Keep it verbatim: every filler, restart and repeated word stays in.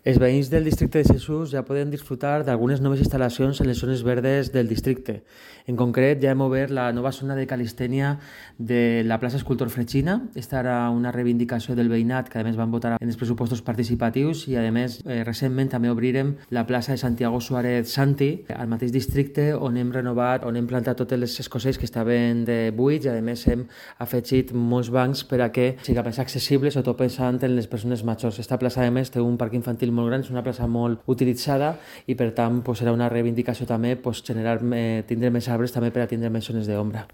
Els veïns del districte de Jesús ja poden disfrutar d'algunes noves instal·lacions en les zones verdes del districte. En concret, ja hem obert la nova zona de calistènia de la plaça Escultor Fregina. Esta era una reivindicació del veïnat que a més van votar en els pressupostos participatius i a més eh, recentment també obrirem la plaça de Santiago Suárez Santi al mateix districte on hem renovat, on hem plantat totes les escocells que estaven de buits i a més hem afegit molts bancs per a que sigui més accessible, sobretot pensant en les persones majors. Esta plaça a més té un parc infantil molt gran, és una plaça molt utilitzada i per tant pues, serà una reivindicació també pues, generar, eh, tindre més arbres també per a tindre més zones d'ombra.